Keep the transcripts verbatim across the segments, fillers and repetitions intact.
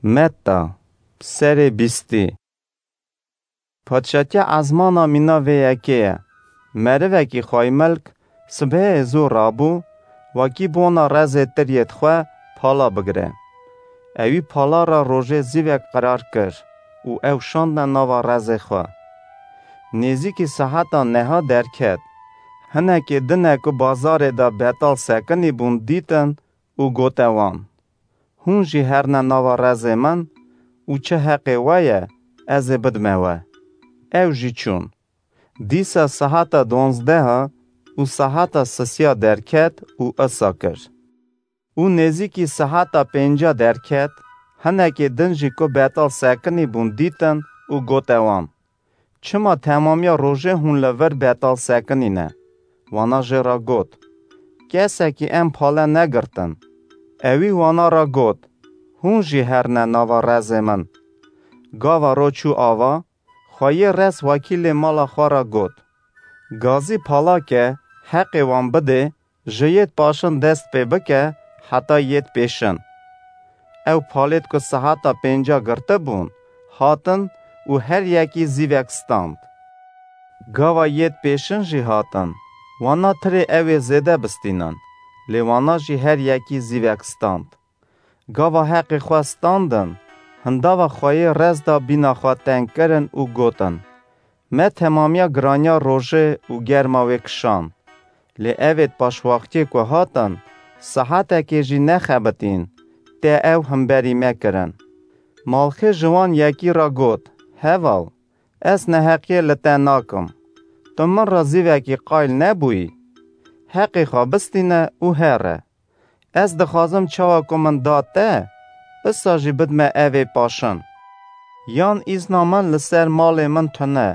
Metta, serê bîstî. Padşatiya ezmana mîna vê yekê ye. Merivekî xwaymilk sibehê zû rabû, wekî bona rezê tiriyêt xwe pala bigire. Ewî pala ra rojê zîvek qirar kir û ew şandne nava rezê xwe. Nêzîkî seheta neha derket. Hinekê dine ku bazarê de betal sekinî bûn dîtin û gote wan: "Hûn jî herne nava rezê min û çi heqê we ye, ez ê bidme we." Ew jî çûn. Dîsa sehata donzdeha û sehata sisiya derket û isa kir. Û nêzîkî sehata pênca derket, hinekê din jî ku betal sekinî bûn dîtin û gote wan: "Çima temamiya rojê hûn li vir betal sekinî ne?" Wana jê re got: "Kesekî em pale negirtin." Ewî wana re got: "Hûn jî herne nava rezê min." Gava ro çû ava, xweyê rez wekîlê mala xwe re got: "Gazî pala ke, heqê wan bidê, ji yêt paşin dest pê bike heta yêt pêşin." Ew palêt ku sehata pênca girtibûn, hatin û her yekî zîvek stand. Gava yêt pêşin jî hatin, wana tirê ew ê zêde bistînin, lê wana jî her yekî zîvek stand. Gava heqê xwe standin, hindava xweyê rez da bîna xwe teng kirin û gotin: "Me temamiya giraniya rojê û germa wê kişand. Lê evêt paşwaxtiyê ku hatin, sahetekê jî nexebitîn, tê ew hemberî me kirin." Malxê ji wan yekî re got: "Heval, ez neheqiyê li te nakim. Tu min re zîvekî qayl nebûyî. Heqê xwe bistîne û here. Ez dixwazim çawa ku min da te, isa jî bidme evê paşin. Yan îzna min li ser malê min tune,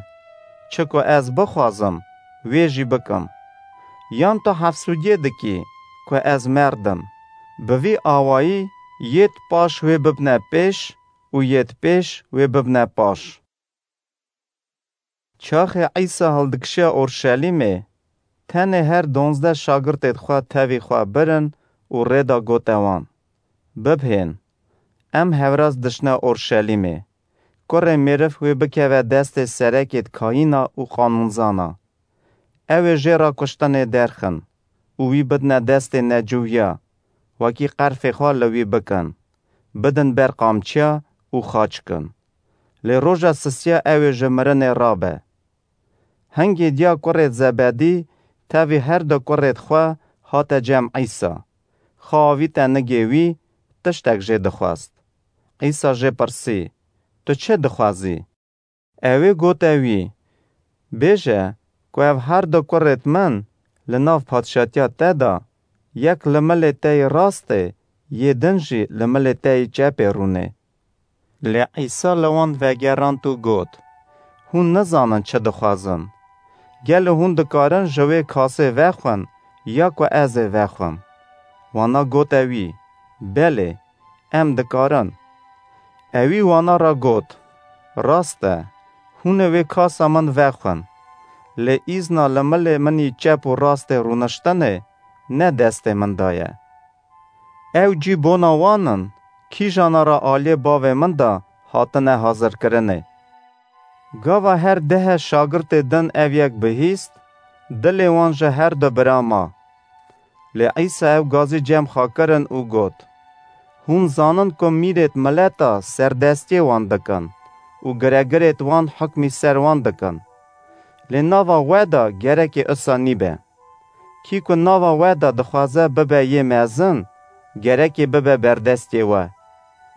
çi ku ez bixwazim, wê jî bikim. Yan tu hefsûdiyê dikî ku ez merdim. Bi vî awayî yêt paş wê bibne pêş û yêt pêş wê bibne paş." Çaxê Îsa hildikişiya Orşelîmê, tenê her donzdeh şagirtêd xwe tevî xwe birin û rê da gote wan: "Bibhên, em hevraz dişne Orşelîmê. Kurê mêriv wê bikeve destê serekêd kayîna û qanûnzana. Ew ê jê re kuştinê derxin û wî bidine destê neciwiya, wekî qerfê xwe li wî bikin, bidin ber qamçiya û xaç kin. Lê roja sisiya ew ê ji mirinê rabe." Hingê diya kurê Zebedî tevî her du kurêd xwe hate cem Îsa. Xwe avîte nigê wî, tiştek jê dixwest. Îsa jê pirsî: "Tu çi dixwazî?" Ewê gote wî: "Bêje ku ev her du kurêd min li nav padşatiya te de, yek li milê te yê rastê, yê din jî li milê te yê çepê rûnê." Lê Îsa li wan vegerand û got: "Hûn nizanin çi dixwazin. Gelo hûn dikarin ji wê kasê vexwin ya ku ez ê vexwim?" Wana gote wî: "Belê, em dikarin." Ewî wana re got: "Rast e, hûn ê wê kasa min vexwin, lê îzna li milê min î çep û rastê rûniştinê ne destê min de ye. Ew cî bona wan in, kîjana re aliyê bavê min de hatine hazirkirinê." Gava her dehê şagirtê din ev yek bihîst, dilê wan ji her du bira ma. Lê Îsa ew gazî cem xwe kirin û got: "Hûn zanin ku mîrêd mileta serdestiyê wan dikin û giregirêd wan hukmî ser wan dikin. Lê nava we de gerekê isa nîbe. Kî ku nava we de dixwaze bibe yê mezin, gerekê bibe berdestê we.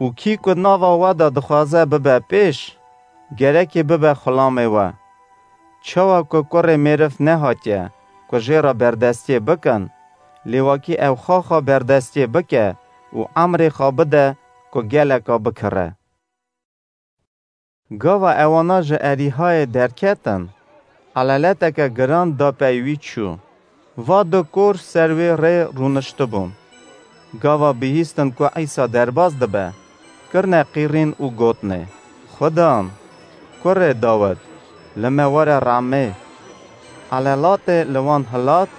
Û kî ku nava we de dixwaze bibe pêş, gerekê bibe xulamê we. Çawa ku kurê mêriv nehatiye ku jê re berdestiyê bikin, lê wekî ew xaxa berdestiyê bike û emrê xwe bide ku geleka bikire." Gava ewana ji Erîhayê derketin, eleleteke giran da pey wî çû. Va du kor ser wê rê rûniştibûn. Gava bihîstin ku Îsa derbas dibe, kirine qîrîn û gotinê: "Xudan, kurê Dawid, li me were rehmê." Elelatê li wan hilat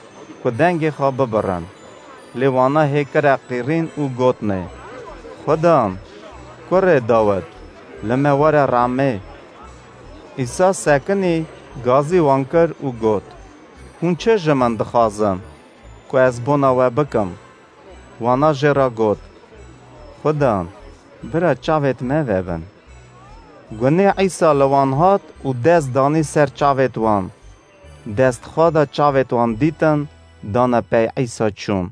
ku dengê xwe bibirin. Lê wana hê kire qîrîn û gotinê: "Xudan, Kurê Dawid, li me were rehmê. Îsa sekinî, gazî wan kir û got, Hûn çi ji min dixwazin, ku ez bona we bikim? Wana jê re got, Xudan, bira çavêt me vebin. Gunê Îsa li wan hat û dest danî ser çavêt wan. Dest xwe da çavêt wan dîtin, dane pey Îsa çûn.